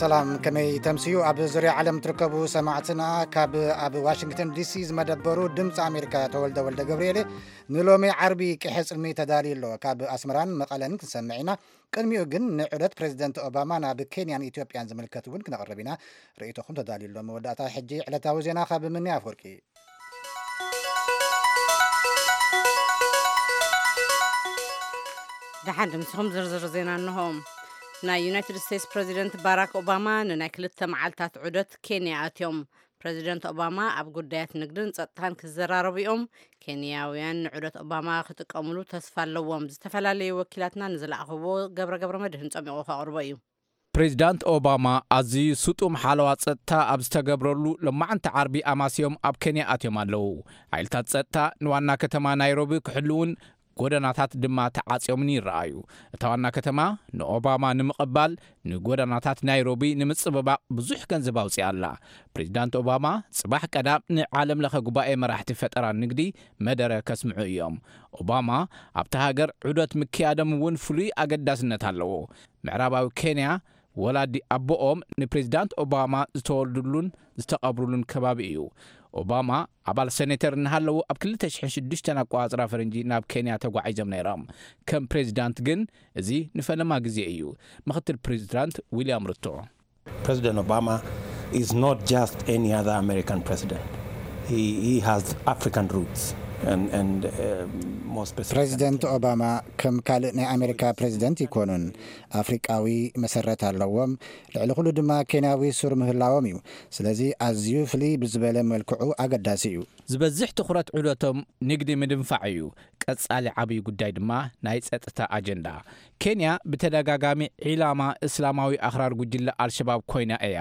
ሰላም፣ ከመይ ተምስዩ? ኣብ ዙርያ ዓለም ትርከቡ ሰማዕትና፣ ካብ ኣብ ዋሽንግተን ዲሲ ዝመደበሩ ድምፂ ኣሜሪካ ተወልደ ወልደ ገብርኤል። ንሎሚ ዓርቢ ቅሐ ጽልሚ ተዳልዩ ኣሎ። ካብ ኣስመራን መቐለን ክንሰምዕ ኢና። ቅድሚኡ ግን ንዑደት ፕሬዚደንት ኦባማ ናብ ኬንያን ኢትዮጵያን ዝምልከት እውን ክነቕርብ ኢና። ርእይቶኹም ተዳልዩ ኣሎ። መወዳእታ ሕጂ ዕለታዊ ዜና ካብ ምኒ ኣፍወርቂ። ደሓን ድምስኹም ዝርዝር ዜና እንሆ። ናይ ዩናይትድ ስቴትስ ፕሬዚደንት ባራክ ኦባማ ንናይ ክልተ መዓልታት ዑደት ኬንያ ኣትዮም። ፕሬዚደንት ኦባማ ኣብ ጉዳያት ንግድን ጸጥታን ክዘራረቡ እዮም። ኬንያውያን ንዑደት ኦባማ ክጥቀሙሉ ተስፋ ኣለዎም። ዝተፈላለዩ ወኪላትና ንዝለኣኽዎ ገብረ ገብረ መድህን ጸሚቑ ከቕርቦ እዩ። ፕሬዚዳንት ኦባማ ኣዝዩ ስጡም ሓለዋ ጸጥታ ኣብ ዝተገብረሉ ሎማዕንቲ ዓርቢ ኣማስዮም ኣብ ኬንያ ኣትዮም ኣለዉ። ሓይልታት ጸጥታ ንዋና ከተማ ናይሮቢ ክሕልውን ጎደናታት ድማ ተዓጽዮምን ይረኣዩ። እታ ዋና ከተማ ንኦባማ ንምቕባል ንጎደናታት ናይሮቢ ንምጽብባቕ ብዙሕ ገንዘብ ኣውጺኣ ኣላ። ፕሬዚዳንት ኦባማ ጽባሕ ቀዳም ንዓለም ለኸ ጉባኤ መራሕቲ ፈጠራ ንግዲ መደረ ከስምዑ እዮም። ኦባማ ኣብታ ሃገር ዑደት ምክያዶም እውን ፍሉይ ኣገዳስነት ኣለዎ። ምዕራባዊ ኬንያ ወላዲ ኣቦኦም ንፕሬዚዳንት ኦባማ ዝተወልዱሉን ዝተቐብሩሉን ከባቢ እዩ። ኦባማ ኣባል ሴኔተር እናሃለዉ ኣብ ክልተ ሽሕን ሽዱሽተን ኣቆጻጽራ ፈረንጂ ናብ ኬንያ ተጓዒዞም ነይሮም። ከም ፕሬዚዳንት ግን እዚ ንፈለማ ግዜ እዩ። ምክትል ፕሬዚዳንት ዊልያም ሩቶ። President Obama is not just any other American president. He, he has African roots and, and uh, more specifically. ፕሬዚደንት ኦባማ ከም ካልእ ናይ ኣሜሪካ ፕሬዚደንት ኣይኮኑን። ኣፍሪቃዊ መሰረት ኣለዎም። ልዕሊ ኩሉ ድማ ኬንያዊ ሱር ምህላዎም እዩ። ስለዚ ኣዝዩ ፍልይ ብዝበለ መልክዑ ኣገዳሲ እዩ። ዝበዝሕ ትኹረት ዑደቶም ንግዲ ምድንፋዕ እዩ። ቀጻሊ ዓብዪ ጉዳይ ድማ ናይ ጸጥታ ኣጀንዳ። ኬንያ ብተደጋጋሚ ዒላማ እስላማዊ ኣኽራር ጉጅለ ኣልሸባብ ኮይና እያ።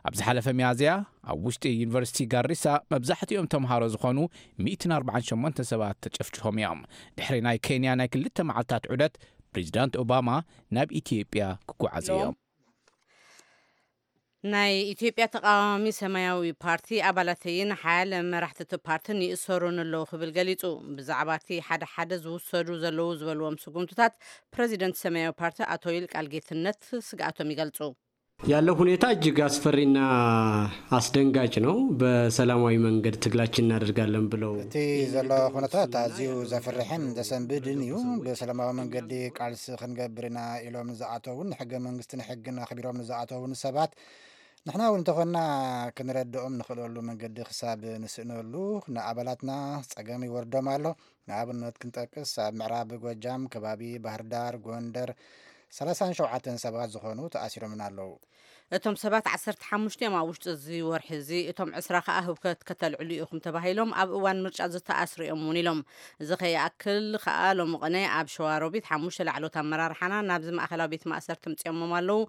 ኣብ ዝሓለፈ ሚያዝያ ኣብ ውሽጢ ዩኒቨርሲቲ ጋሪሳ መብዛሕትኦም ተምሃሮ ዝኾኑ ሚእትን ኣርባዓን ሸሞንተ ሰባት ተጨፍጭፎም እዮም። ድሕሪ ናይ ኬንያ ናይ ክልተ መዓልታት ዑደት ፕሬዚዳንት ኦባማ ናብ ኢትዮጵያ ክጓዓዙ እዮም። ናይ ኢትዮጵያ ተቃዋሚ ሰማያዊ ፓርቲ ኣባላተይን ሓያለ መራሕቲ እቲ ፓርትን ይእሰሩን ኣለዉ ክብል ገሊጹ። ብዛዕባ እቲ ሓደ ሓደ ዝውሰዱ ዘለዉ ዝበልዎም ስጉምትታት ፕሬዚደንት ሰማያዊ ፓርቲ ኣቶ ይልቃል ጌትነት ስግኣቶም ይገልጹ። ያለው ሁኔታ እጅግ አስፈሪና አስደንጋጭ ነው። በሰላማዊ መንገድ ትግላችን እናደርጋለን ብለው እቲ ዘሎ ኩነታት ኣዝዩ ዘፍርሕን ዘሰንብድን እዩ። ብሰላማዊ መንገዲ ቃልሲ ክንገብር ኢና ኢሎም ንዝኣተውን ንሕገ መንግስትን ሕግን ኣኽቢሮም ንዝኣተውን ሰባት ንሕና እውን እንተኾንና ክንረድኦም ንኽእለሉ መንገዲ ክሳብ ንስእነሉ ንኣባላትና ጸገም ይወርዶም ኣሎ። ንኣብነት ክንጠቅስ ኣብ ምዕራብ ጎጃም ከባቢ ባህርዳር፣ ጎንደር ሰላሳን ሸውዓተን ሰባት ዝኾኑ ተኣሲሮምን ኣለዉ። እቶም ሰባት ዓሰርተ ሓሙሽተ እዮም ኣብ ውሽጢ እዚ ወርሒ እዚ፣ እቶም ዕስራ ከኣ ህውከት ከተልዕሉ ኢኹም ተባሂሎም ኣብ እዋን ምርጫ ዝተኣስሩ እዮም እውን ኢሎም። እዚ ከይኣክል ከኣ ሎሚ ቅነ ኣብ ሸዋሮቢት ሓሙሽተ ላዕሎት ኣመራርሓና ናብዚ ማእኸላዊ ቤት ማእሰርቲ ምጽዮሞም ኣለዉ።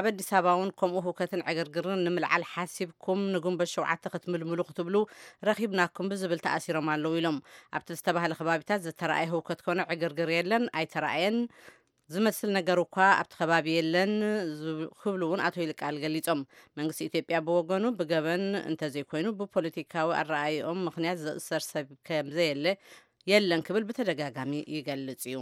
ኣብ ኣዲስ ኣበባ እውን ከምኡ ህውከትን ዕግርግርን ንምልዓል ሓሲብኩም ንግንቦት ሸውዓተ ክትምልምሉ ክትብሉ ረኺብናኩም ብዝብል ተኣሲሮም ኣለዉ ኢሎም። ኣብቲ ዝተባህለ ከባቢታት ዝተረኣየ ህውከት ኮነ ዕግርግር የለን፣ ኣይተረኣየን። ዝመስል ነገር እኳ ኣብቲ ከባቢ የለን ዝብ-፣ ክብሉ እውን ኣቶ ይልቃል ገሊጾም። መንግስቲ ኢትዮጵያ ብወገኑ ብገበን እንተዘይኮይኑ ብፖለቲካዊ ኣረኣይኦም ምኽንያት ዝእሰር ሰብ ከምዘየለ የለን ክብል ብተደጋጋሚ ይገልጽ እዩ።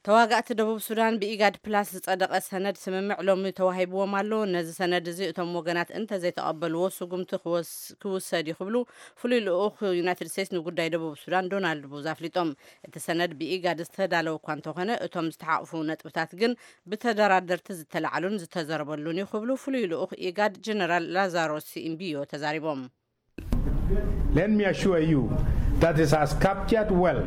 ተዋጋእቲ ደቡብ ሱዳን ብኢጋድ ፕላስ ዝጸደቐ ሰነድ ስምምዕ ሎሚ ተዋሂብዎም ኣሎ። ነዚ ሰነድ እዚ እቶም ወገናት እንተዘይተቐበልዎ ስጉምቲ ክወስ-፣ ክውሰድ እዩ ክብሉ ፍሉይ ልኡኽ ዩናይትድ ስቴትስ ንጉዳይ ደቡብ ሱዳን ዶናልድ ቡዝ ኣፍሊጦም። እቲ ሰነድ ብኢጋድ ዝተዳለወ እኳ እንተኾነ፣ እቶም ዝተሓቑፉ ነጥብታት ግን ብተደራደርቲ ዝተላዕሉን ዝተዘረበሉን እዩ ክብሉ ፍሉይ ልኡኽ ኢጋድ ጀነራል ላዛሮስ ኢምቢዮ ተዛሪቦም። Let me assure you that it has captured well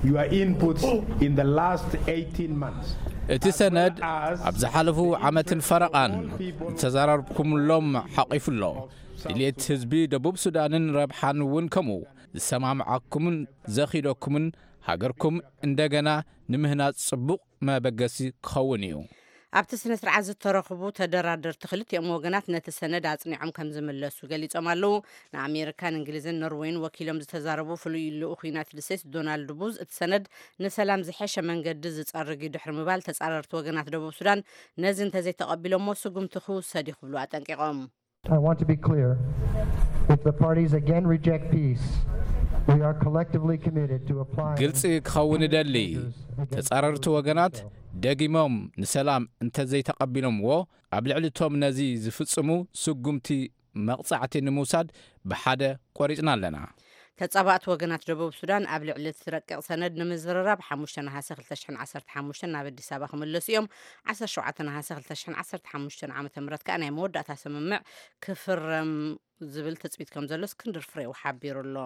your inputs in the last eighteen months. እቲ ሰነድ ኣብ ዝሓለፉ ዓመትን ፈረቓን ዝተዘራረብኩምሎም ሓቒፉ ኣሎ። ድልየት ህዝቢ ደቡብ ሱዳንን ረብሓን እውን ከምኡ ዝሰማምዓኩምን ዘኺደኩምን ሃገርኩም እንደገና ንምህናጽ ጽቡቕ መበገሲ ክኸውን እዩ። ኣብቲ ስነ ስርዓት ዝተረኽቡ ተደራደርቲ ክልቲኦም ወገናት ነቲ ሰነድ ኣጽኒዖም ከም ዝምለሱ ገሊጾም ኣለዉ። ንኣሜሪካን እንግሊዝን ኖርዌይን ወኪሎም ዝተዛረቡ ፍሉይ ልኡኽ ዩናይትድ ስቴትስ ዶናልድ ቡዝ እቲ ሰነድ ንሰላም ዝሐሸ መንገዲ ዝጸርግ እዩ ድሕሪ ምባል ተጻረርቲ ወገናት ደቡብ ሱዳን ነዚ እንተዘይተቐቢሎሞ ስጉምቲ ክውሰድ እዩ ክብሉ ኣጠንቂቖም። I want to be clear. If the parties again reject peace, We are collectively committed to applying ግልጺ ክኸውን እደሊ። ተጻረርቲ ወገናት ደጊሞም ንሰላም እንተዘይተቐቢሎምዎ፣ ኣብ ልዕሊ እቶም ነዚ ዝፍጽሙ ስጉምቲ መቕጻዕቲ ንምውሳድ ብሓደ ቆሪጽና ኣለና። ተጻባእቲ ወገናት ደቡብ ሱዳን ኣብ ልዕሊ እቲ ረቂቕ ሰነድ ንምዝርራብ ሓሙሽተ ነሓሰ ክልተ ሽሕን ዓሰርተ ሓሙሽተን ናብ ኣዲስ ኣበባ ክምለሱ እዮም። ዓሰርተ ሸውዓተ ነሓሰ ክልተ ሽሕን ዓሰርተ ሓሙሽተን ዓመተ ምህረት ከኣ ናይ መወዳእታ ስምምዕ ክፍረም ዝብል ትጽቢት ከም ዘሎ እስክንድር ፍሬው ሓቢሩ ኣሎ።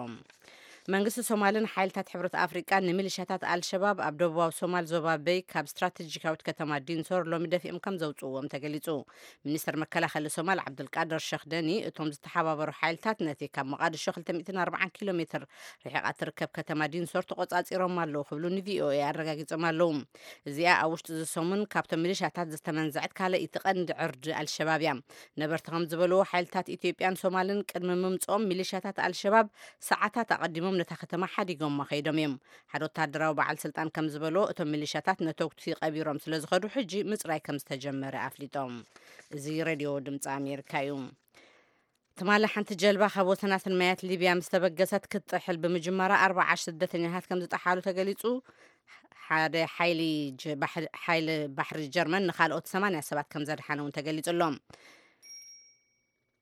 መንግስቲ ሶማልን ሓይልታት ሕብረት ኣፍሪቃን ንሚሊሻታት ኣልሸባብ ኣብ ደቡባዊ ሶማል ዞባ በይ ካብ ስትራቴጂካዊት ከተማ ዲንሶር ሎሚ ደፊኦም ከም ዘውፅእዎም ተገሊጹ። ሚኒስተር መከላኸሊ ሶማል ዓብዱልቃድር ሸኽ ደኒ እቶም ዝተሓባበሩ ሓይልታት ነቲ ካብ መቓድሾ ክልተ ሚእትን ኣርባዓን ኪሎ ሜትር ርሒቓ ትርከብ ከተማ ዲንሶር ተቖጻጺሮም ኣለዉ ክብሉ ንቪኦኤ ኣረጋጊጾም ኣለዉ። እዚኣ ኣብ ውሽጢ እዚ ሰሙን ካብቶም ሚሊሻታት ዝተመንዘዐት ካልኣይቲ ቀንዲ ዕርዲ ኣልሸባብ እያ። ነበርቲ ከም ዝበልዎ ሓይልታት ኢትዮጵያን ሶማልን ቅድሚ ምምጽኦም ሚሊሻታት ኣልሸባብ ሰዓታት ኣቐዲሞም ነታ ከተማ ሓዲጎማ ከይዶም እዮም። ሓደ ወታደራዊ በዓል ስልጣን ከም ዝበሎ እቶም ሚሊሻታት ነተጉቲ ቀቢሮም ስለ ዝኸዱ ሕጂ ምጽራይ ከም ዝተጀመረ ኣፍሊጦም። እዚ ሬድዮ ድምፂ ኣሜሪካ እዩ። ትማሊ ሓንቲ ጀልባ ካብ ወሰናስን ማያት ሊብያ ምስ ተበገሰት ክትጥሕል ብምጅማራ ኣርባዓ ስደተኛታት ከም ዝጠሓሉ ተገሊጹ። ሓደ ሓይሊ ጀ- ባሕ- ሓይሊ ባሕሪ ጀርመን ንኻልኦት ሰማንያ ሰባት ከም ዘድሓነ እውን ተገሊጹ ኣሎ።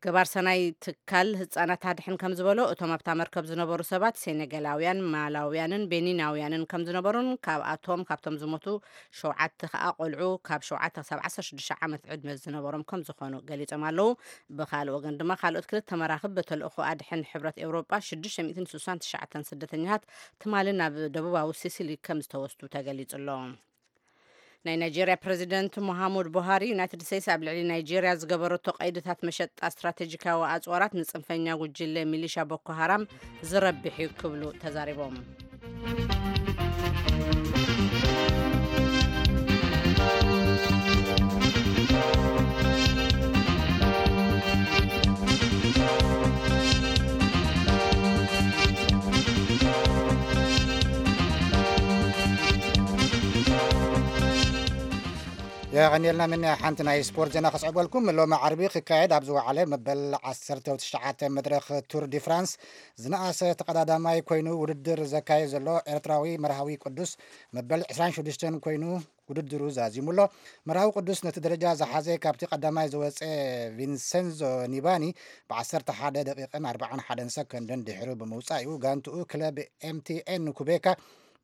ገባር ሰናይ ትካል ህጻናት ኣድሕን ከም ዝበሎ እቶም ኣብታ መርከብ ዝነበሩ ሰባት ሴኔጋላውያን፣ ማላውያንን ቤኒናውያንን ከም ዝነበሩን ካብኣቶም ካብቶም ዝሞቱ ሸውዓተ ከኣ ቆልዑ ካብ ሸውዓተ ክሳብ ዓሰርተ ሽዱሽተ ዓመት ዕድመ ዝነበሮም ከም ዝኾኑ ገሊጾም ኣለዉ። ብኻልእ ወገን ድማ ካልኦት ክልተ መራኽብ ብተልእኾ ኣድሕን ሕብረት ኤውሮጳ ሽዱሽተ ሚእትን ስሳን ትሽዓተን ስደተኛታት ትማሊ ናብ ደቡባዊ ሲሲሊ ከም ዝተወስዱ ተገሊጹ ኣሎ። ናይ ናይጄርያ ፕረዚደንት ሙሃሙድ ቡሃሪ ዩናይትድ ስቴትስ ኣብ ልዕሊ ናይጄርያ ዝገበረቶ ቀይድታት መሸጣ ስትራቴጂካዊ ኣጽዋራት ንጽንፈኛ ጉጅለ ሚሊሻ ቦኮ ሃራም ዝረብሕ እዩ ክብሉ ተዛሪቦም። የቐኒልና። ምን ሓንቲ ናይ ስፖርት ዜና ከስዕበልኩም። ሎሚ ዓርቢ ክካየድ ኣብ ዝወዓለ መበል ዓሰርተ ትሽዓተ መድረኽ ቱር ዲ ፍራንስ ዝነኣሰ ተቐዳዳማይ ኮይኑ ውድድር ዘካየድ ዘሎ ኤርትራዊ መርሃዊ ቅዱስ መበል ዕስራን ሽዱሽተን ኮይኑ ውድድሩ ዛዚሙ ኣሎ። መርሃዊ ቅዱስ ነቲ ደረጃ ዝሓዘ ካብቲ ቀዳማይ ዝወፀ ቪንሰንዞ ኒባኒ ብ ዓሰርተ ሓደ ደቂቕን ኣርባዓን ሓደን ሰከንድን ድሕሩ ብምውፃእ እዩ ጋንትኡ ክለብ ኤምቲኤን ኩቤካ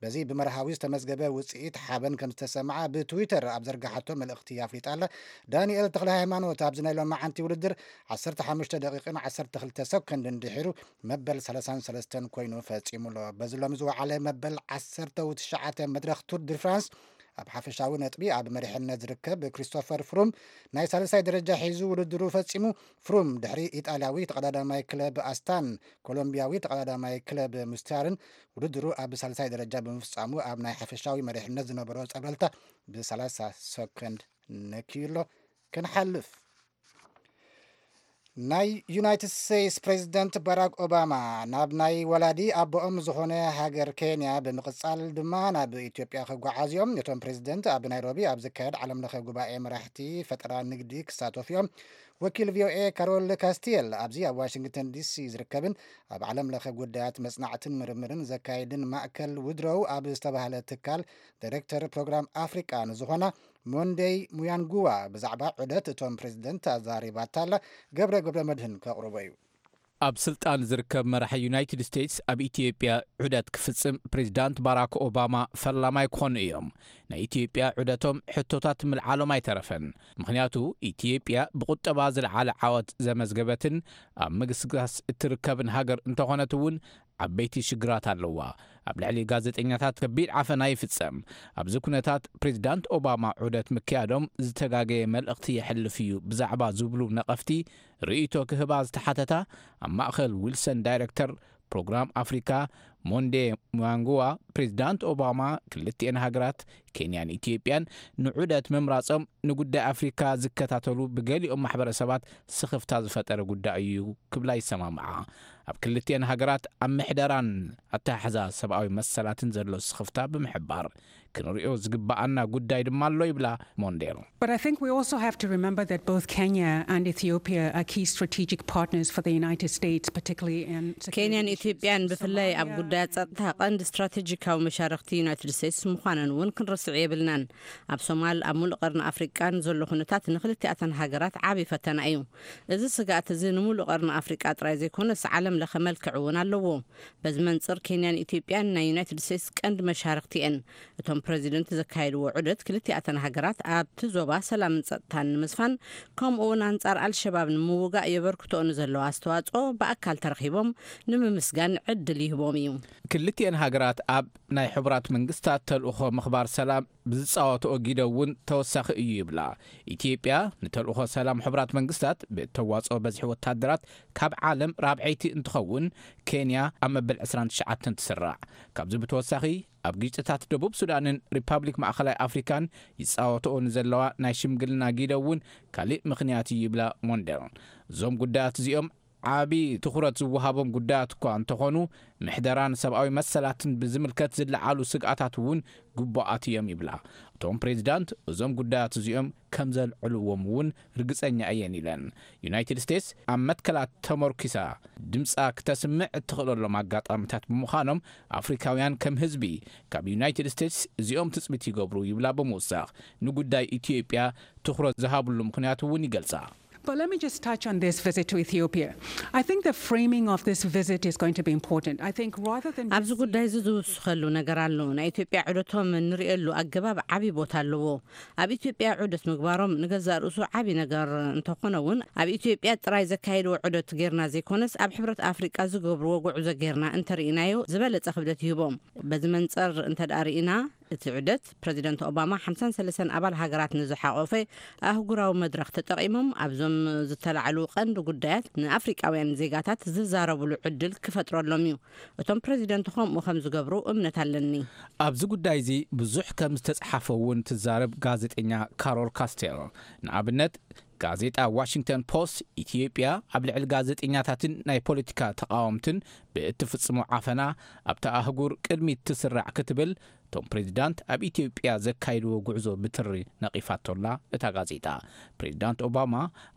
በዚ ብመርሃዊ ዝተመዝገበ ውፅኢት ሓበን ከም ዝተሰምዓ ብትዊተር ኣብ ዘርጋሓቶ መልእኽቲ ኣፍሊጣ ኣላ። ዳንኤል ተኽለ ሃይማኖት ኣብዚ ናይ ሎማዓንቲ ውድድር ዓሰርተ ሓሙሽተ ደቂቕን ዓሰርተ ክልተ ሰኮንድን ድሒሩ መበል ሰላሳን ሰለስተን ኮይኑ ፈጺሙ ኣሎ። በዚ ሎሚ ዝወዓለ መበል ዓሰርተ ትሽዓተ መድረኽ ቱር ዲ ፍራንስ ኣብ ሓፈሻዊ ነጥቢ ኣብ መሪሕነት ዝርከብ ክሪስቶፈር ፍሩም ናይ ሳልሳይ ደረጃ ሒዙ ውድድሩ ፈጺሙ። ፍሩም ድሕሪ ኢጣልያዊ ተቐዳዳማይ ክለብ ኣስታን ኮሎምቢያዊ ተቐዳዳማይ ክለብ ሙስታርን ውድድሩ ኣብ ሳልሳይ ደረጃ ብምፍጻሙ ኣብ ናይ ሓፈሻዊ መሪሕነት ዝነበሮ ጸብለልታ ብ ሰላሳ ሰኮንድ ነክዩ ኣሎ። ክንሓልፍ ናይ ዩናይትድ ስቴትስ ፕሬዚደንት ባራክ ኦባማ ናብ ናይ ወላዲ ኣቦኦም ዝኾነ ሃገር ኬንያ ብምቕጻል ድማ ናብ ኢትዮጵያ ክጓዓዝ እዮም። እቶም ፕሬዚደንት ኣብ ናይሮቢ ኣብ ዝካየድ ዓለም ለኸ ጉባኤ መራሕቲ ፈጠራ ንግዲ ክሳተፉ እዮም። ወኪል ቪኦኤ ካሮል ካስቲየል ኣብዚ ኣብ ዋሽንግተን ዲሲ ዝርከብን ኣብ ዓለም ለኸ ጉዳያት መጽናዕትን ምርምርን ዘካይድን ማእከል ውድሮው ኣብ ዝተባህለ ትካል ዳይሬክተር ፕሮግራም ኣፍሪቃ ንዝኾና ሞንደይ ሙያንጉዋ ብዛዕባ ዑደት እቶም ፕሬዚደንት ኣዛሪባታ ኣላ። ገብረ ገብረ መድህን ከቕርቦ እዩ። ኣብ ስልጣን ዝርከብ መራሒ ዩናይትድ ስቴትስ ኣብ ኢትዮጵያ ዑደት ክፍጽም ፕሬዚዳንት ባራክ ኦባማ ፈላማይ ክኾኑ እዮም። ናይ ኢትዮጵያ ዑደቶም ሕቶታት ምልዓሎም ኣይተረፈን። ምኽንያቱ ኢትዮጵያ ብቁጠባ ዝለዓለ ዓወት ዘመዝገበትን ኣብ ምግስጋስ እትርከብን ሃገር እንተኾነት እውን ዓበይቲ ሽግራት ኣለዋ። ኣብ ልዕሊ ጋዜጠኛታት ከቢድ ዓፈና ይፍጸም። ኣብዚ ኩነታት ፕሬዚዳንት ኦባማ ዑደት ምክያዶም ዝተጋገየ መልእኽቲ የሕልፍ እዩ ብዛዕባ ዝብሉ ነቐፍቲ ርእይቶ ክህባ ዝተሓተታ ኣብ ማእኸል ዊልሰን ዳይሬክተር ፕሮግራም ኣፍሪካ ሞንዴ ሙያንጉዋ ፕሬዚዳንት ኦባማ ክልቲኤን ሃገራት ኬንያን ኢትዮጵያን ንዑደት ምምራጾም ንጉዳይ ኣፍሪካ ዝከታተሉ ብገሊኦም ማሕበረሰባት ስኽፍታ ዝፈጠረ ጉዳይ እዩ ክብላ ይሰማምዓ። ኣብ ክልቲኤን ሃገራት ኣብ ምሕደራን ኣተሓሕዛ ሰብኣዊ መሰላትን ዘሎ ስኽፍታ ብምሕባር ክንሪኦ ዝግበኣና ጉዳይ ድማ ኣሎ ይብላ ሞንዴል። But I think we also have to remember that both Kenya and Ethiopia are key strategic partners for the United States, particularly in security ኬንያን issues. ኢትዮጵያን ብፍላይ ኣብ Somalia, ጉዳያት ጸጥታ ቀንዲ ስትራቴጂካዊ መሻርኽቲ ዩናይትድ ስቴትስ ምዃነን እውን ክንርስዕ የብልናን። ኣብ ሶማል፣ ኣብ ሙሉእ ቀርኒ ኣፍሪቃን ዘሎ ኩነታት ንክልቲኣተን ሃገራት ዓቢ ፈተና እዩ። እዚ ስግኣት እዚ ንሙሉእ ቀርኒ ኣፍሪቃ ጥራይ ዘይኮነስ ዓለም ለኸ መልክዕ እውን ኣለዎ። በዚ መንጽር ኬንያን ኢትዮጵያን ናይ ዩናይትድ ስቴትስ ቀንዲ መሻርኽቲ እየን። እቶም ፕረዚደንት ዘካየድዎ ዑደት ክልቲኣተን ሃገራት ኣብቲ ዞባ ሰላምን ጸጥታን ንምስፋን ከምኡ እውን ኣንጻር ኣልሸባብ ንምውጋእ የበርክትኦ ንዘለዎ ኣስተዋጽኦ ብኣካል ተረኺቦም ንምምስጋን ዕድል ይህቦም እዩ። ክልቲኤን ሃገራት ኣብ ናይ ሕቡራት መንግስታት ተልእኾ ምኽባር ሰላም ብዝጻወትኦ ጊደ እውን ተወሳኺ እዩ ይብላ። ኢትዮጵያ ንተልእኾ ሰላም ሕቡራት መንግስታት ብእተዋጽኦ በዝሒ ወታደራት ካብ ዓለም ራብዐይቲ እንትኸውን፣ ኬንያ ኣብ መበል ዕስራን ትሽዓተን ትስራዕ። ካብዚ ብተወሳኺ ኣብ ግጭታት ደቡብ ሱዳንን ሪፓብሊክ ማእኸላይ ኣፍሪካን ይጻወትኦ ንዘለዋ ናይ ሽምግልና ጊደ እውን ካሊእ ምኽንያት እዩ ይብላ ሞንደል። እዞም ጉዳያት እዚኦም ዓቢ ትኹረት ዝወሃቦም ጉዳያት እኳ እንተኾኑ፣ ምሕደራን ሰብኣዊ መሰላትን ብዝምልከት ዝለዓሉ ስግኣታት እውን ግቡኣት እዮም ይብላ። እቶም ፕሬዚዳንት እዞም ጉዳያት እዚኦም ከም ዘልዕልዎም እውን ርግጸኛ እየን ኢለን። ዩናይትድ ስቴትስ ኣብ መትከላት ተመርኪሳ ድምጻ ክተስምዕ እትኽእለሎም ኣጋጣሚታት ብምዃኖም፣ ኣፍሪካውያን ከም ህዝቢ ካብ ዩናይትድ ስቴትስ እዚኦም ትጽቢት ይገብሩ ይብላ ብምውሳኽ፣ ንጉዳይ ኢትዮጵያ ትኹረት ዝሃብሉ ምኽንያት እውን ይገልጻ። But let me just touch on this visit to Ethiopia. I think the framing of this visit is going to be important. I think rather than ኣብዚ ጉዳይ እዚ ዝውስኸሉ ነገር ኣሎ። ናይ ኢትዮጵያ ዑደቶም እንርእየሉ ኣገባብ ዓቢ ቦታ ኣለዎ። ኣብ ኢትዮጵያ ዑደት ምግባሮም ንገዛእ ርእሱ ዓቢ ነገር እንተኾነ እውን፣ ኣብ ኢትዮጵያ ጥራይ ዘካየድዎ ዑደት ጌርና ዘይኮነስ፣ ኣብ ሕብረት ኣፍሪቃ ዝገብርዎ ጉዕዞ ጌርና እንተርኢናዮ ዝበለጸ ክብደት ይህቦም። በዚ መንጸር እንተ ደኣ ርኢና፣ እቲ ዑደት ፕረዚደንት ኦባማ ሓምሳን ሰለስተን ኣባል ሃገራት ንዝሓቖፈ ኣህጉራዊ መድረኽ ተጠቒሞም ኣብዞም ዝተላዕሉ ቀንዲ ጉዳያት ንኣፍሪቃውያን ዜጋታት ዝዛረብሉ ዕድል ክፈጥረሎም እዩ። እቶም ፕረዚደንት ከምኡ ከም ዝገብሩ እምነት ኣለኒ። ኣብዚ ጉዳይ እዚ ብዙሕ ከም ዝተጽሓፈ እውን ትዛረብ ጋዜጠኛ ካሮል ካስቴል። ንኣብነት፣ ጋዜጣ ዋሽንግተን ፖስት ኢትዮጵያ ኣብ ልዕሊ ጋዜጠኛታትን ናይ ፖለቲካ ተቓወምትን ብእትፍጽሞ ዓፈና ኣብታ ኣህጉር ቅድሚት ትስራዕ ክትብል፣ እቶም ፕሬዚዳንት ኣብ ኢትዮጵያ ዘካይድዎ ጉዕዞ ብትሪ ነቒፋቶላ እታ ጋዜጣ። ፕሬዚዳንት ኦባማ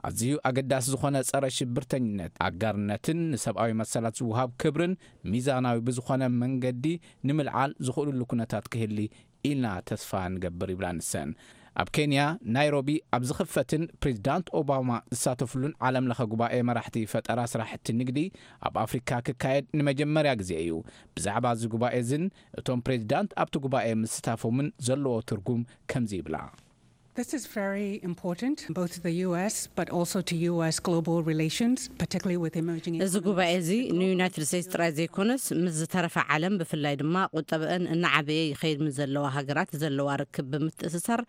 ኣዝዩ ኣገዳሲ ዝኾነ ጸረ ሽብርተኝነት፣ ኣጋርነትን ንሰብኣዊ መሰላት ዝወሃብ ክብርን ሚዛናዊ ብዝኾነ መንገዲ ንምልዓል ዝኽእልሉ ኩነታት ክህሊ ኢልና ተስፋ ንገብር ይብላ ንሰን። ኣብ ኬንያ ናይሮቢ ኣብ ዝኽፈትን ፕሬዚዳንት ኦባማ ዝሳተፍሉን ዓለም ለኸ ጉባኤ መራሕቲ ፈጠራ ስራሕቲ ንግዲ ኣብ ኣፍሪካ ክካየድ ንመጀመርያ ግዜ እዩ። ብዛዕባ እዚ ጉባኤ እዝን እቶም ፕሬዚዳንት ኣብቲ ጉባኤ ምስታፎምን ዘለዎ ትርጉም ከምዚ ይብላ። This is very important, both to the U S, but also to U S global relations, particularly with emerging እዚ ጉባኤ እዚ ንዩናይትድ ስቴትስ ጥራይ ዘይኮነስ ምስ ዝተረፈ ዓለም፣ ብፍላይ ድማ ቁጠበአን እናዓበየ ይኸይድ ምስ ዘለዋ ሃገራት ዘለዋ ርክብ ብምትእስሳር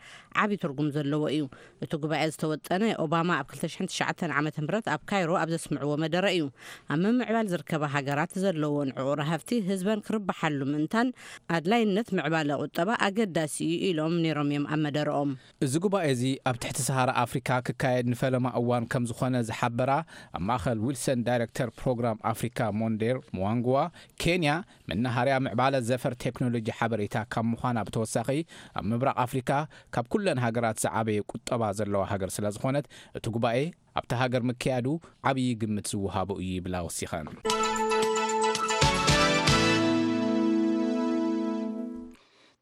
ዓቢ ትርጉም ዘለዎ እዩ። እቲ ጉባኤ ዝተወጠነ ኦባማ ኣብ ክልተ ሽሕን ትሽዓተን ዓመተ ምህረት ኣብ ካይሮ ኣብ ዘስምዕዎ መደረ እዩ። ኣብ ምምዕባል ዝርከባ ሃገራት ዘለዎን ዕቑር ሃፍቲ ህዝበን ክርብሓሉ ምእንታን ኣድላይነት ምዕባለ ቁጠባ ኣገዳሲ እዩ ኢሎም ነይሮም እዮም ኣብ መደረኦም። እዚ ጉባኤ እዚ ኣብ ትሕቲ ሰሃራ ኣፍሪካ ክካየድ ንፈለማ እዋን ከም ዝኾነ ዝሓበራ ኣብ ማእኸል ዊልሰን ዳይሬክተር ፕሮግራም ኣፍሪካ ሞንዴር ሙዋንግዋ፣ ኬንያ መናሃርያ ምዕባለ ዘፈር ቴክኖሎጂ ሓበሬታ ካብ ምዃና ብተወሳኺ፣ ኣብ ምብራቕ ኣፍሪካ ካብ ኩለን ሃገራት ዝዓበየ ቁጠባ ዘለዋ ሃገር ስለ ዝኾነት፣ እቲ ጉባኤ ኣብታ ሃገር ምክያዱ ዓብዪ ግምት ዝወሃቦ እዩ ይብላ ወሲኸን።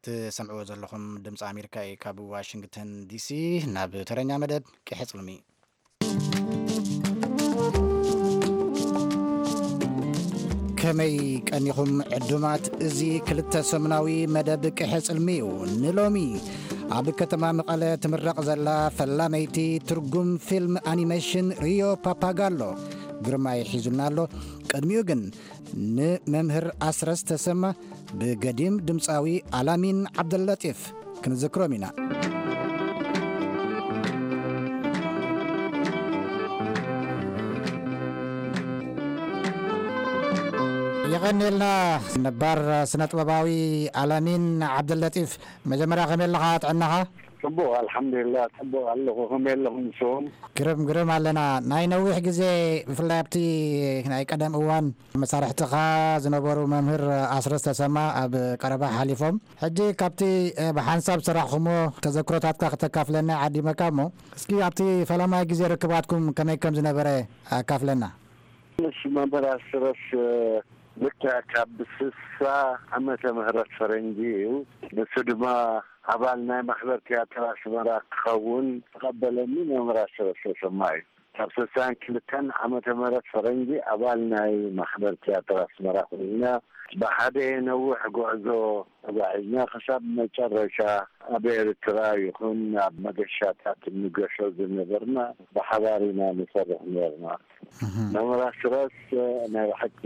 ትሰምዕዎ ዘለኹም ድምፂ ኣሜሪካ እዩ፣ ካብ ዋሽንግተን ዲሲ። ናብ ተረኛ መደብ ቅሐ ጽልሚ። ከመይ ቀኒኹም ዕዱማት? እዚ ክልተ ሰሙናዊ መደብ ቅሐ ጽልሚ እዩ። ንሎሚ ኣብ ከተማ መቐለ ትምረቕ ዘላ ፈላመይቲ ትርጉም ፊልም ኣኒሜሽን ሪዮ ፓፓጋሎ ግርማይ ሒዙልና ኣሎ። ቅድሚኡ ግን ንመምህር ኣስረስ ተሰማ ብገዲም ድምፃዊ ኣላሚን ዓብደለጢፍ ክንዝክሮም ኢና። የቐንየልና ነባር ስነ ጥበባዊ ኣላሚን ዓብደለጢፍ፣ መጀመርያ ከመይ ኣለኻ? ጥዕናኻ? ጽቡቕ፣ ኣልሓምዱሊላህ፣ ጽቡቕ ኣለኹ። ከመይ ኣለኹም ንስኹም? ግርም፣ ግርም ኣለና። ናይ ነዊሕ ግዜ፣ ብፍላይ ኣብቲ ናይ ቀደም እዋን መሳርሕትኻ ዝነበሩ መምህር ኣስረስ ተሰማ ኣብ ቀረባ ሓሊፎም። ሕጂ ካብቲ፣ እ፣ ብሓንሳብ ዝሰራሕኹሞ ተዘክሮታትካ ክተካፍለና ዓዲመካ እሞ፣ እስኪ ኣብቲ ፈላማይ ግዜ ርክባትኩም ከመይ ከም ዝነበረ ኣካፍለና። ምስ መምህር ኣስረስ፣ እ፣ ልክዕ ካብ ስሳ ዓመተ ምህረት ፈረንጂ እዩ። ንሱ ድማ ኣባል ናይ ማሕበር ቲያትር ኣስመራ ክኸውን ተቐበለኒ መምህር ኣስረስ ተሰማ እዩ። ካብ ስሳን ክልተን ዓመተ ምህረት ፈረንጂ ኣባል ናይ ማሕበር ቲያትር ኣስመራ ኮይና፣ ብሓደ ነዊሕ ጉዕዞ ተጓዒዝና፣ ክሳብ መጨረሻ ኣብ ኤርትራ ይኹን ኣብ መገሻታት እንገሾ ዝነበርና ብሓባር ኢና ንሰርሕ ነበርና። መምህር ኣስረስ ናይ ብሓቂ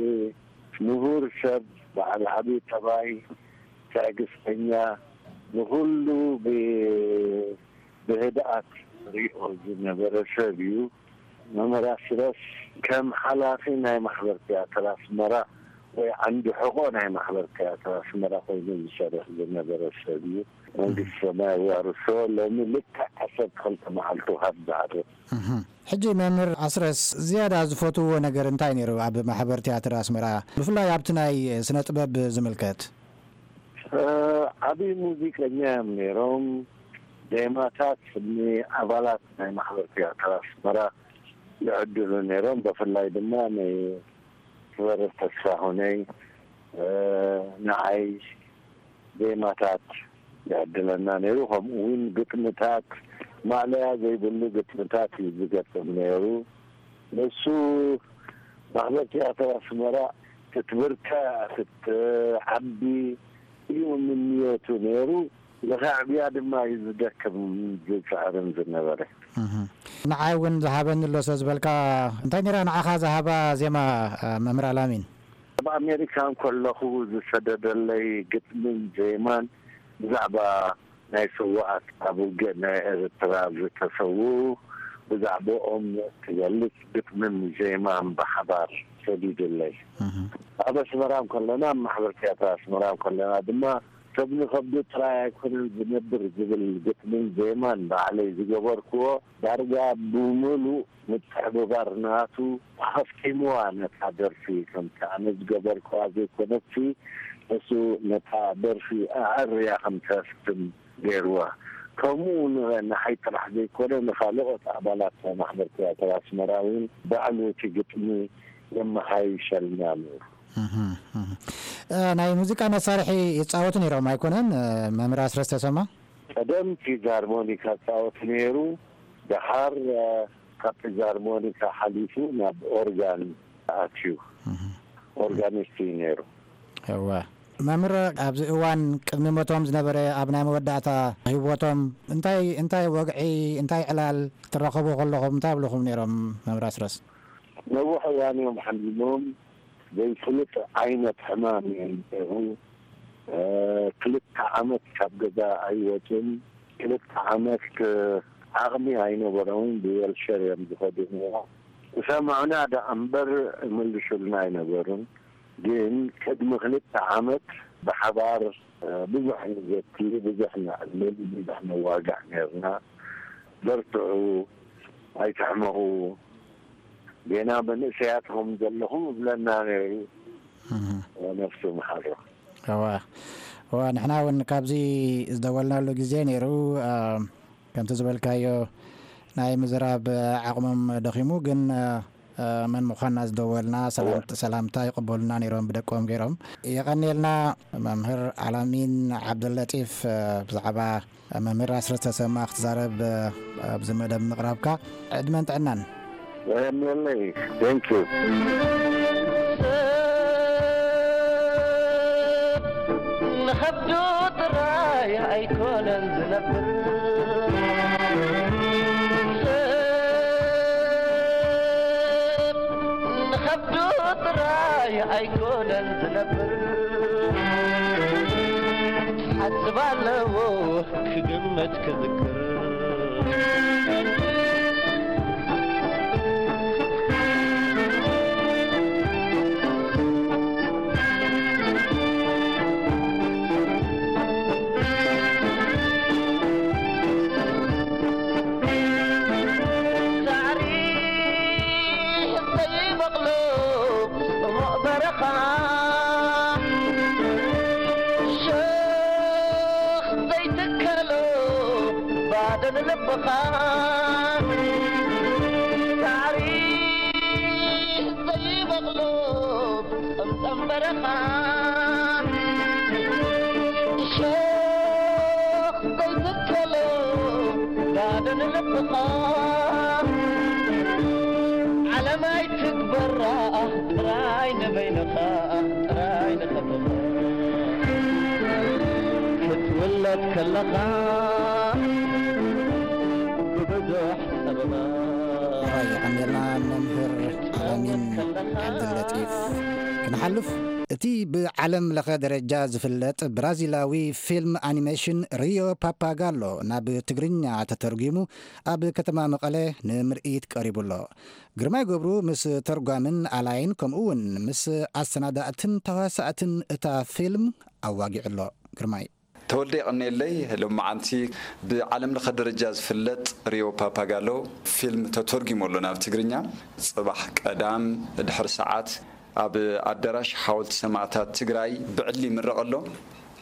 ምሁር ሰብ፣ በዓል ዓቢ ጠባይ፣ ትዕግስተኛ፣ ንኹሉ ብ-፣ ብህድኣት ሪኦ ዝነበረ ሰብ እዩ። መምህር ኣስረስ ከም ሓላፊ ናይ ማሕበር ቲያትር ኣስመራ ወይ ዓንዲ ሕቖ ናይ ማሕበር ቲያትር ኣስመራ ኮይኑ ዝሰርሕ ዝነበረ ሰብ እዩ። መንግስቲ ሰማይ የዋርሶ። ሎሚ ልክዕ ዓሰርተ ክልተ መዓልቱ ካብ ዝዓርፍ። እህ። ሕጂ መምህር ኣስረስ ዝያዳ ዝፈትውዎ ነገር እንታይ ነይሩ ኣብ ማሕበር ቲያትር ኣስመራ? ብፍላይ ኣብቲ ናይ ስነ ጥበብ ዝምልከት። እ፣ ዓቢ ሙዚቀኛ እዮም ነይሮም። ዜማታት ንኣባላት ናይ ማሕበር ቲያትር ኣስመራ ይዕድሉ ነይሮም። ብፍላይ ድማ ንክበርር ተስፋሁነይ፣ እ፣ ንዓይ ዜማታት ይዕድለና ነይሩ። ከምኡ እውን ግጥምታት፣ ማእለያ ዘይብሉ ግጥምታት እዩ ዝገጥም ነይሩ። ንሱ ማሕበር ቲያትር ኣስመራ ክትብርትዕ፣ ክትዓቢ እዩ ምንዮቱ ነይሩ። ንኸዕብያ ድማ እዩ ዝደክም ዝጽዕርን ዝነበረ። እህ። ንዓይ እውን ዝሃበኒ ኣሎ ስለ ዝበልካ፣ እንታይ ነይራ ንዓኻ ዝሃባ ዜማ፣ እ፣ መምህር ኣላሚን? ኣብ ኣሜሪካ እንከለኹ ዝሰደደለይ ግጥምን ዜማን ብዛዕባ ናይ ስውኣት ኣብ ውግእ ናይ ኤርትራ ዝተሰውኡ፣ ብዛዕባኦም ትገልጽ ግጥምን ዜማን ብሓባር ሰዲዱለይ። እህ። ኣብ ኣስመራ እንከለና፣ ኣብ ማሕበር ቲያትር ኣስመራ እንከለና ድማ፣ ሰብ ንኸብዱ ጥራይ ኣይኮነን ዝነብር ዝብል ግጥምን ዜማን ባዕለይ ዝገበርክዎ፣ ዳርጋ ብምሉእ ምትሕብባር ናቱ ኣኸፍቲምዋ ነታ ደርፊ። ከምቲ ኣነ ዝገበርክዋ ዘይኮነትሲ፣ እሱ ነታ ደርፊ ኣዐርያ ከም ተፍትም ገይርዋ። ከምኡ ን-፣ ንዓይ ጥራሕ ዘይኮነ፣ ንኻልኦት ኣባላት ናይ ማሕበር ቲያትር ኣስመራ እውን ባዕሉ እቲ ግጥሚ የመሓይሸልና ነይሩ። እህ፣ እህ። እ፣ ናይ ሙዚቃ መሳርሒ ይጻወቱ ነይሮም ኣይኮነን? እ፣ መምህር ኣስረስ ተሰማ? ቀደም ፊዛርሞኒካ ጻወት ነይሩ። ደሓር፣ እ፣ ካብ ፊዛርሞኒካ ሓሊፉ ናብ ኦርጋን ኣትዩ። እህ። ኦርጋኒስት እዩ ነይሩ። እወ። መምህር፣ ኣብዚ እዋን ቅድሚ ሞቶም ዝነበረ፣ ኣብ ናይ መወዳእታ ህይወቶም እንታይ፣ እንታይ ወግዒ፣ እንታይ ዕላል ትራኸቡ ከለኹም እንታይ ይብልኹም ነይሮም መምህር ኣስረስ? ነዊሕ እዋን እዮም ሓሚሞም። ዘይፍሉጥ ዓይነት ሕማም እዩ ነይሩ። እ፣ ክልተ ዓመት ካብ ገዛ ኣይወጹን። ክልተ ዓመት፣ እ፣ ዓቕሚ ኣይነበሮምን። ብዌልቸር እዮም ዝኸዱ ነይሮም። ዝሰምዑና ደኣ እምበር ይምልሱልና ኣይነበሩን። ግን ቅድሚ ክልተ ዓመት ብሓባር፣ እ፣ ብዙሕ ንዘቲ፣ ብዙሕ ነዕልል፣ ብዙሕ ነዋግዕ ነይርና። በርትዑ፣ ኣይትሕመቑ፣ ጌና መንእሰያት ኹም ዘለኹም እብለና ነይሩ። እህ። ነፍሱ ይምሓሮ። እዋ፣ እዋ፣ ንሕና እውን ካብዚ ዝደወልናሉ ግዜ ነይሩ። እ፣ ከምቲ ዝበልካዮ ናይ ምዝራብ ዓቕሞም ደኺሙ፣ ግን፣ እ፣ እ፣ መን ምዃንና ዝደወልና ሰላም-፣ እዋ። ሰላምታ ይቕበሉና ነይሮም ብደቆም ገይሮም። የቐንየልና መምህር ኣላሚን ዓብደለጢፍ፣ እ፣ ብዛዕባ መምህር ኣስረስ ተሰማ ክትዛረብ፣ እ፣ ኣብዚ መደብ ምቕራብካ ዕድመን ጥዕናን። የቐንየለይ። Thank you። ንኸብዱ ጥራይ ኣይኮነን ዝነብር። ንኸብዱ ጥራይ ኣይኮነን ዝነብር። ሓስብ ኣለዎ ክግመት ክዝክር። ሳዕሪ ዘይበቕሎ ጽሙቕ በረኻ፣ ሸኽ ዘይትከሎ ባዶ ንልብኻ። ሳዕሪ ዘይበቕሎ ጽምቶ በረኻ እሾኽ ዘይትከሎ ጋደን ልብኻ ዓለም ኣይትግበራ ጥራይ ንበይንኻ ጥራይ ንኸብኻ ክትውለድ ከለኻ ብብዙሕ ጸበባ ራይ ዓሚርና መምህር ኣላሚን ዓብዱለጢፍ። ክንሓልፍ፣ እቲ ብዓለም ለኸ ደረጃ ዝፍለጥ ብራዚላዊ ፊልም ኣኒሜሽን ሪዮ ፓፓጋሎ ናብ ትግርኛ ተተርጒሙ ኣብ ከተማ መቐለ ንምርኢት ቀሪቡ ኣሎ። ግርማይ ገብሩ ምስ ተርጓምን ኣላይን ከምኡ እውን ምስ ኣሰናዳእትን ተዋሳእትን እታ ፊልም ኣዋጊዑ ኣሎ። ግርማይ። ተወልደ የቐንየለይ። ሎማዓንቲ ብዓለም ለኸ ደረጃ ዝፍለጥ ሪዮ ፓፓጋሎ ፊልም ተተርጒሙ ኣሎ ናብ ትግርኛ። ጽባሕ ቀዳም ድሕሪ ሰዓት ኣብ ኣዳራሽ ሓወልቲ ሰማእታት ትግራይ ብዕሊ ይምረቕ ኣሎ።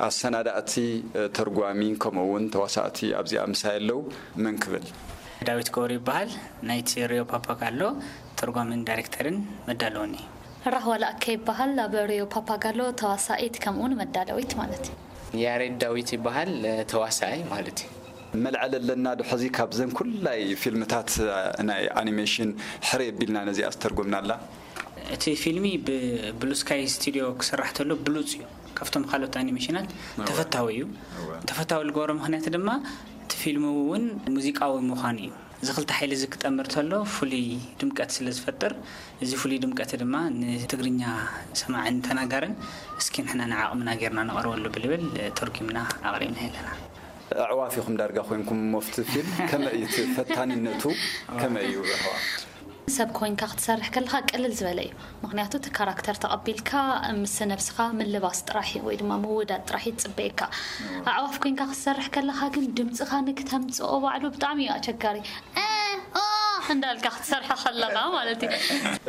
ኣሰናዳእቲ፣ ተርጓሚ፣ ከምኡ እውን ተዋሳእቲ ኣብዚኣ ምሳይ ኣለዉ። መን ክብል? ዳዊት ገብሩ ይበሃል። ናይቲ ሪዮ ፓፓጋሎ ተርጓምን ዳይሬክተርን መዳለውኒ። ራህዋ ለኣከ ይበሃል። ኣብ ሪዮ ፓፓጋሎ ተዋሳኢት ከምኡውን መዳለዊት ማለት እዩ። ያሬድ ዳዊት ይበሃል፣ ተዋሳኣይ ማለት እዩ። መልዐል ኣለና ዶ ሕዚ ካብዘን ኩላይ ፊልምታት ናይ ኣኒሜሽን ሕረ የቢልና ነዚኣ ዝተርጎምናላ? እቲ ፊልሚ ብብሉ ስካይ ስቱዲዮ ክስራሕ ተሎ ብሉፅ እዩ። ካብቶም ካልኦት ኣኒሜሽናት ተፈታዊ እዩ። ተፈታዊ ዝገብሮ ምኽንያት ድማ እቲ ፊልም እውን ሙዚቃዊ ምዃኑ እዩ። እዚ ክልተ ሓይሊ እዚ ክጠምር ተሎ ፍሉይ ድምቀት ስለ ዝፈጥር፣ እዚ ፍሉይ ድምቀት ድማ ንትግርኛ ሰማዕን ተናጋርን እስኪ ንሕና ንዓቕምና ጌርና ነቕርበሉ ብልብል ተርጉምና ኣቕሪብና ኣለና። ኣዕዋፍ ኢኹም ዳርጋ ኮይንኩም እሞ ኣብቲ ፊልም ከመይ እዩ እቲ ፈታኒነቱ? ከመይ እዩ ኣዕዋፍ? ሰብ ኮይንካ ክትሰርሕ ከለካ ቅልል ዝበለ እዩ። ምክንያቱ እቲ ካራክተር ተቐቢልካ ምስ ነብስኻ ምልባስ ጥራሕ እዩ ወይ ድማ ምውዳድ ጥራሕ እዩ ዝፅበየካ። ኣዕዋፍ ኮይንካ ክትሰርሕ ከለካ ግን ድምፅኻ ንክተምፅኦ ባዕሉ ብጣዕሚ እዩ ኣቸጋሪ። እ፣ ኦ እንዳልካ ክትሰርሖ ከለካ ማለት እዩ።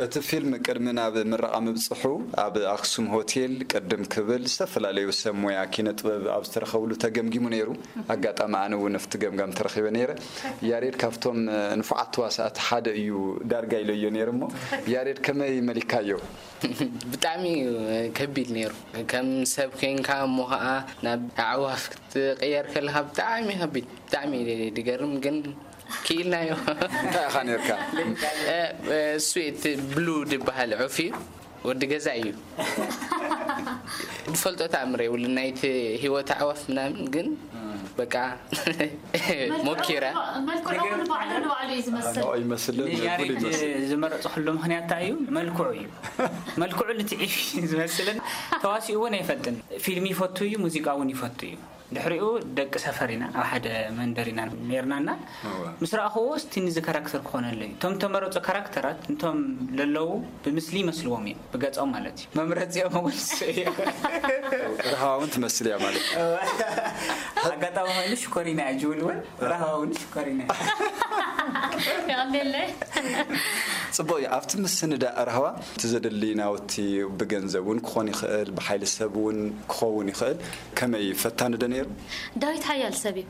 እቲ ፊልም ቅድሚ ናብ ምረቓ ምብፅሑ ኣብ ኣክሱም ሆቴል ቅድም ክብል ዝተፈላለዩ ሰብ ሞያ ኪነ ጥበብ ኣብ ዝተረኸብሉ ተገምጊሙ ነይሩ። ኣጋጣሚ ኣነ እውን ኣብቲ ገምጋም ተረኺበ ነይረ። ያሬድ ካብቶም ንፉዓት ተዋሳእቲ ሓደ እዩ ዳርጋ ኢለዮ ነይረ እሞ ያሬድ ከመይ መሊካዮ? ብጣዕሚ እዩ ከቢድ ነይሩ። ከም ሰብ ኮይንካ እሞ ከዓ ናብ ኣዕዋፍ ክትቅየር ከለካ ብጣዕሚ ከቢድ፣ ብጣዕሚ ድገርም ግን ክኢልናዮ። እንታይ ኢኻ ነርካ? እሱ እቲ ብሉ ዝበሃል ዑፍ እዩ። ወዲ ገዛ እዩ። ዝፈልጦ ተኣምር የብሉ ናይቲ ህይወት ኣዕዋፍ ምናምን ግን በቃ ሞኪረ። መልክዑ እውን ባዕሉ ንባዕሉ እዩ ዝመስል። ይመስልን ንያሬድ ዝመረፅኩሉ ምክንያት እንታይ እዩ? መልክዑ እዩ። መልክዑ ልትዒፍ እዩ ዝመስልን ተዋሲኡ እውን ኣይፈልጥን። ፊልም ይፈቱ እዩ፣ ሙዚቃ እውን ይፈቱ እዩ። ድሕሪኡ ደቂ ሰፈር ኢና፣ ኣብ ሓደ መንደር ኢና ነርናና። ምስ ረኣኽዎ እስቲ ንዚ ካራክተር ክኾነለይ። እቶም ተመረፁ ካራክተራት እንቶም ለለዉ ብምስሊ ይመስልዎም እዮም፣ ብገፆም ማለት እዩ። መምረፂኦም እውን እሱ እዩ። ርሃዋ እውን ትመስል እያ ማለት እዩ። ኣጋጣሚ ኮይኑ ሽኮሪና እያ ጅብል እውን ራህዋ እውን ሽኮሪና እያ። ይቐልየለይ። ፅቡቅ እዩ። ኣብቲ ምስንዳእ ራህዋ እቲ ዘድሊ ናውቲ ብገንዘብ እውን ክኾን ይኽእል፣ ብሓይሊ ሰብ እውን ክኸውን ይኽእል። ከመይ ፈታኒ ዶ ነይሩ? ዳዊት ሓያል ሰብ እዩ።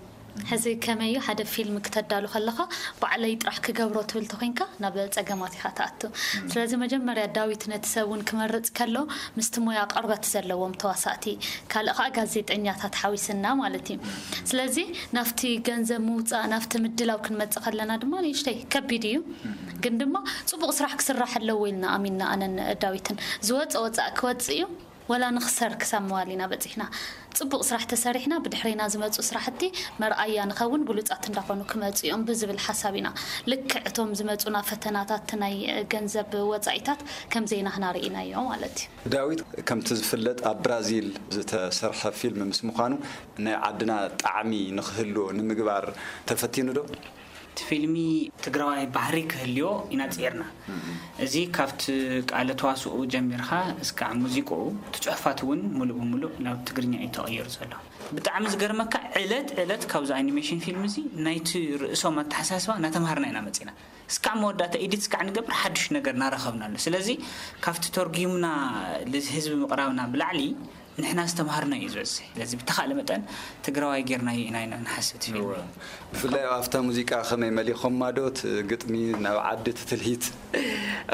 ሕዚ ከመይ እዩ ሓደ ፊልም ክተዳሉ ከለኻ ባዕለይ ጥራሕ ክገብሮ ትብል ተኮይንካ ናብ ፀገማት ኢኻ ትኣቱ። ስለዚ መጀመርያ ዳዊት ነቲ ሰብ እውን ክመርፅ ከሎ ምስቲ ሞያ ቅርበት ዘለዎም ተዋሳእቲ ካልእ ከዓ ጋዜጠኛታት ሓዊስና ማለት እዩ። ስለዚ ናብቲ ገንዘብ ምውፃእ ናብቲ ምድላው ክንመፅእ ከለና ድማ ንእሽተይ ከቢድ እዩ። ግን ድማ ፅቡቕ ስራሕ ክስራሕ ኣለዎ ኢልና ኣሚንና ኣነን ዳዊትን። ዝወፀ ወፃእ ክወፅእ እዩ። ወላ ንኽሰር ክሳብ ምባል ኢና በፂሕና። ፅቡቕ ስራሕ ተሰሪሕና ብድሕሬና ዝመፁ ስራሕቲ መርኣያ ንኸውን ብሉፃት እንዳኾኑ ክመፁ እዮም ብዝብል ሓሳብ ኢና። ልክዕ እቶም ዝመፁና ፈተናታት ናይ ገንዘብ ወፃኢታት ከም ዘይናህና ርኢናዮ ማለት እዩ። ዳዊት ከምቲ ዝፍለጥ ኣብ ብራዚል ዝተሰርሐ ፊልም ምስ ምዃኑ ናይ ዓድና ጣዕሚ ንክህልዎ ንምግባር ተፈቲኑ ዶ? እቲ ፊልሚ ትግራዋይ ባህሪ ክህልዮ ኢና ፅዒርና። እዚ ካብቲ ቃለ ተዋስኡ ጀሚርካ እስካዕ ሙዚቅኡ እቲ ፅሑፋት እውን ሙሉእ ብሙሉእ ናብ ትግርኛ እዩ ተቐይሩ ዘሎ። ብጣዕሚ ዝገርመካ ዕለት ዕለት ካብዚ ኣኒሜሽን ፊልም እዚ ናይቲ ርእሶም ኣተሓሳስባ እናተምሃርና ኢና መፂና። እስካዕ መወዳእታ ኤዲት እስካዕ ንገብር ሓዱሽ ነገር እናረኸብና ኣሎ። ስለዚ ካብቲ ተርጉምና ንህዝቢ ምቕራብና ብላዕሊ ንሕና ዝተምሃርና እዩ ዝበዝሕ። ስለዚ ብተኻእለ መጠን ትግራዋይ ጌርናዮ ኢና ኢና ንሓስብ እቲ ፊልም። እወ። ብፍላይ ኣብታ ሙዚቃ ከመይ መሊኾማ ዶ እቲ ግጥሚ ናብ ዓዲ እቲ ትልሂት?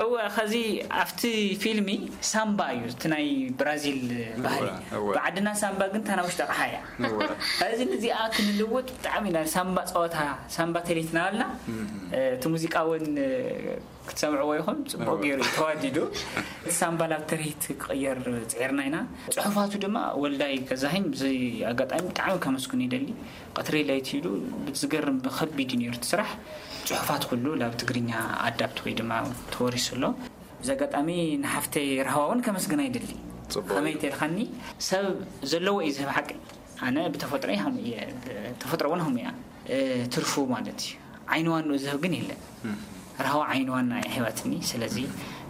እወ፣ ኸዚ ኣብቲ ፊልሚ ሳምባ እዩ፣ እቲ ናይ ብራዚል ባህሊ። እወ፣ እወ። ብዓድና ሳምባ ግን እታ ናይ ውሽጢ ኣቕሓ እያ። እወ። ኸዚ ንዚኣ ክንልውጥ ብጣዕሚ ኢና ሳምባ ጸወታ፣ ሳምባ ተሌትና ኣልና። እቲ ሙዚቃ እውን ክትሰምዕዎ ይኹን፣ ጽቡቕ እወ። ገይሩ እዩ ተዋዲዱ። እቲ ሳምባ ናብ ትርኢት ክቕየር ጽዒርና ኢና። ጽሑፋቱ ድማ ወልዳይ ገዛኸኝ ብዚ ኣጋጣሚ ብጣዕሚ ከመስግን ይደሊ። ቀትሪ ለይቲ ኢሉ ብዝገርም ብኸቢድ እዩ ነይሩ እቲ ስራሕ። ጽሑፋት ኩሉ ናብ ትግርኛ ኣዳፕት ወይ ድማ ተወሪሱ ኣሎ። ብዚ ኣጋጣሚ ንሓፍተይ ራህዋ እውን ከመስግና ይደሊ። ጽቡቕ ከመይ እዩ። ተልኻኒ ሰብ ዘለዎ እዩ ዝህብ ሓቂ። ኣነ ብተፈጥሮይ ሃሙ እየ፣ ተፈጥሮ እውን ሃሙ እያ። እ፣ ትርፉ ማለት እዩ። ዓይኒ ዋንኡ ዝህብ ግን የለን። ራህዋ ዓይኒ ዋና እያ ሂባትኒ። ስለዚ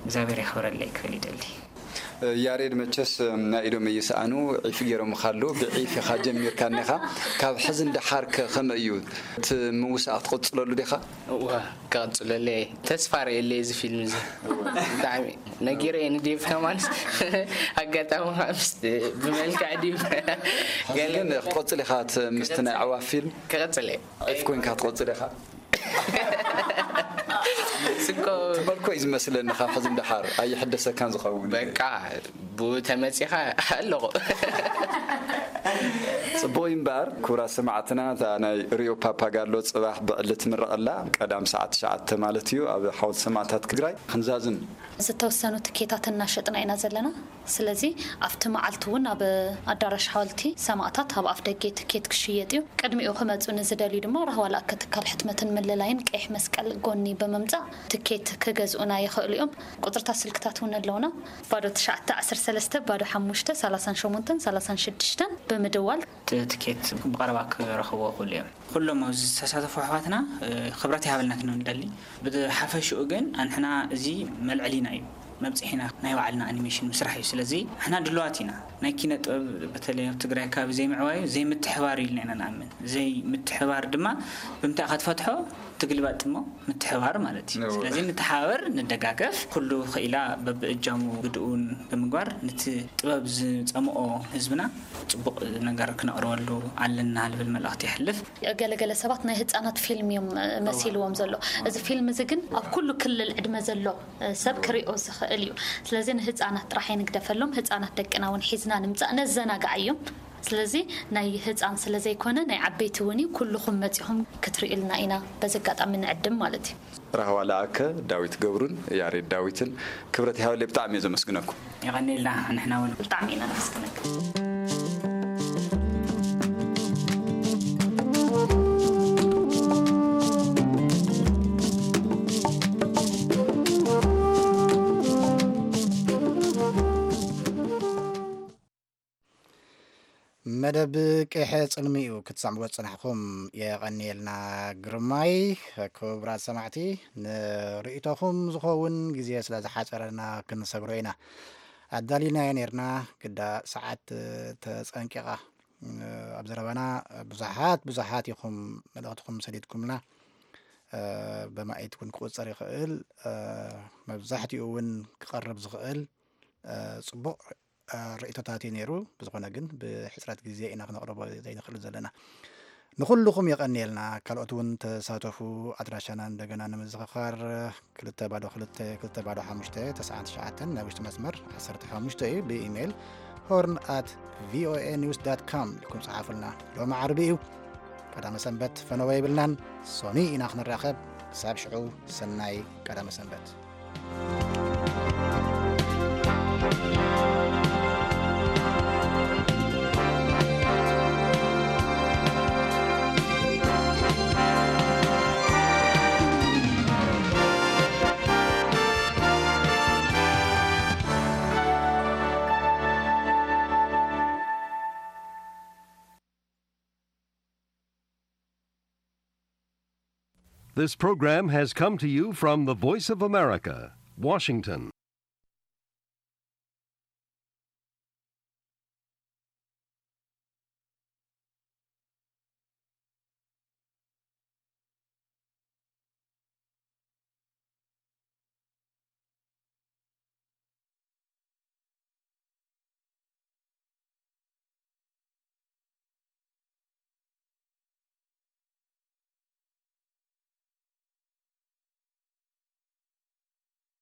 እግዚኣብሔር የኽብረለይ ክብል ይደሊ። ያሬድ መቸስ ናይ ኢዶም እይስኣኑ ዒፍ ገይሮምኻ ኣለዉ። ብዒፍ ኢኻ ጀሚርካ እኒኻ። ካብ ሕዚ ንደሓር ከ ከመይ እዩ? እቲ ምውሳእ ክትቕጽለሉ ዲኻ? እዋ፣ ክቕጽለለይ እየ። ተስፋ ርእየለይ እዚ ፊልም እዚ። ብጣዕሚ ነጊረ እየ ንዴቭ ከማንስ። ኣጋጣሚ ከዓ ምስ፣ ብመልክዕ ዲቭ ሕዚ ገለ ግን ክትቕጽል ኢኻ እቲ ምስቲ ናይ ኣዕዋፍ ፊልም? ክቕጽል እየ። ዒፍ ኮይንካ ክትቕጽል ኢኻ? ስኮ ትመልኮ እዩ ዝመስለኒ፣ ካብ ሕዚ ንደሓር ኣይሕደሰካን ዝኸውን። በቃ፣ ብኡ ተመጺኻ ኣለኹ። ጽቡቕ እዩ እምበኣር፣ ክቡራት ሰማዕትና፣ እታ ናይ ሪዮ ፓፓጋሎ ጽባሕ ብዕሊ ትምረቕ ኣላ። ቀዳም ሰዓት ትሽዓተ ማለት እዩ፣ ኣብ ሓወልቲ ሰማእታት ትግራይ። ክንዛዝም ዝተወሰኑ ትኬታት እናሸጥና ኢና ዘለና። ስለዚ ኣብቲ መዓልቲ እውን ኣብ ኣዳራሽ ሓወልቲ ሰማእታት ኣብ ኣፍ ደገ ትኬት ክሽየጥ እዩ። ቅድሚኡ ክመጹ ንዝደልዩ ድማ ራህዋ ለኣከ ትካል ሕትመትን ምልላይን ቀይሕ መስቀል ጎኒ ብምምጻእ ትኬት ክገዝኡና ይኽእሉ እዮም። ቁጽርታት ስልክታት እውን ኣለውና። ባዶ ትሽዓተ ዓሰርተ ሰለስተ፣ ባዶ ሓሙሽተ፣ ሰላሳን ሸሞንተን፣ ሰላሳን ሽዱሽተን ብምድዋል ት-፣ ትኬት ብቐረባ ክረኽብዎ ይኽእሉ እዮም። ኩሎም ኣብዚ ዝተሳተፉ ኣሕዋትና፣ እ፣ ክብረት ይሃበልና ክንብል ንደሊ። ብሓፈሽኡ ግን ኣንሕና እዚ መልዕሊና እዩ፣ መብጽሒና ናይ ባዕልና ኣኒሜሽን ምስራሕ እዩ። ስለዚ ንሕና ድሉዋት ኢና። ናይ ኪነ ጥበብ በተለይ ኣብ ትግራይ ከባቢ ዘይምዕባዩ ዘይምትሕባር እዩ ኢልና ኢና ንኣምን። ዘይምትሕባር ድማ ብምንታይ ኢኻ ትፈትሖ? ትግልባጥ እሞ ምትሕባር ማለት እዩ። እወ። ስለዚ ንተሓባበር፣ ንደጋገፍ። ኩሉ ክኢላ በብእጃሙ ግድኡን ብምግባር ነቲ ጥበብ ዝጸምኦ ህዝብና ጽቡቕ ነገር ክነቕርበሉ ኣለና ልብል መልእኽቲ የሕልፍ። ገለገለ ሰባት ናይ ህጻናት ፊልም እዮም፣ እ፣ መሲልዎም ዘሎ። እዚ ፊልም እዚ ግን ኣብ ኩሉ ክልል ዕድመ ዘሎ፣ እ፣ ሰብ ክሪኦ ዝኽእል እዩ። ስለዚ ንህጻናት ጥራሕ ኣይንግደፈሎም። ህጻናት ደቅና እውን ሒዝና ንምጻእ፣ ነዘናግዓዮም። ስለዚ ናይ ህጻን ስለ ዘይኮነ ናይ ዓበይቲ እውን እዩ። ኩልኹም መጺኹም ክትርእዩልና ኢና በዚ ኣጋጣሚ ንዕድም ማለት እዩ። ራህዋ ለኣከ፣ ዳዊት ገብሩን ያሬድ ዳዊትን ክብረት ይሃበለይ፣ ብጣዕሚ እየ ዘመስግነኩም። የቐንየልና፣ ንሕና እውን። ብጣዕሚ ኢና ነመስግነካ። መደብ ቂሐ ጽልሚ'ዩ ክትሰምዕዎ ዝጸናሕኩም። የቐንየልና ግርማይ። ክቡራት ሰማዕቲ፣ ንርእይቶኹም ዝኸውን ግዜ ስለ ዝሓጸረና ክንሰግሮ ኢና። ኣዳሊናዮ ኔርና፣ ግዳ ሰዓት ተጸንቂቓ። ኣብ ዘረባና ብዙሓት፣ ብዙሓት ኢኹም መልእኽትኹም ሰዲድኩምና። ብማኢት እውን ክቑጸር ይኽእል። መብዛሕትኡ እውን ክቐርብ ዝኽእል ጽቡቕ ርእይቶታት እዩ ነይሩ። ብዝኾነ ግን ብሕጽረት ግዜ ኢና ክነቕርቦ ዘይንኽእል ዘለና። ንኹልኹም የቐንየልና። ካልኦት እውን ተሳተፉ። ኣድራሻና እንደገና ንምዝኽኻር፣ ክልተ ባዶ ክልተ፣ ክልተ ባዶ ሓሙሽተ፣ ተስዓን ትሽዓተን፣ ናይ ውሽጢ መስመር ዓሰርተ ሓሙሽተ እዩ። ብኢሜይል ሆርን ኣት ቪኦኤ ኒውስ ዳት ካም ኢልኩም ጸሓፉልና። ሎሚ ዓርቢ እዩ። ቀዳመ ሰንበት ፈነወ የብልናን። ሶኒ ኢና ክንራኸብ። ክሳብ ሽዑ ሰናይ ቀዳመ ሰንበት። This program has come to you from the Voice of America, Washington.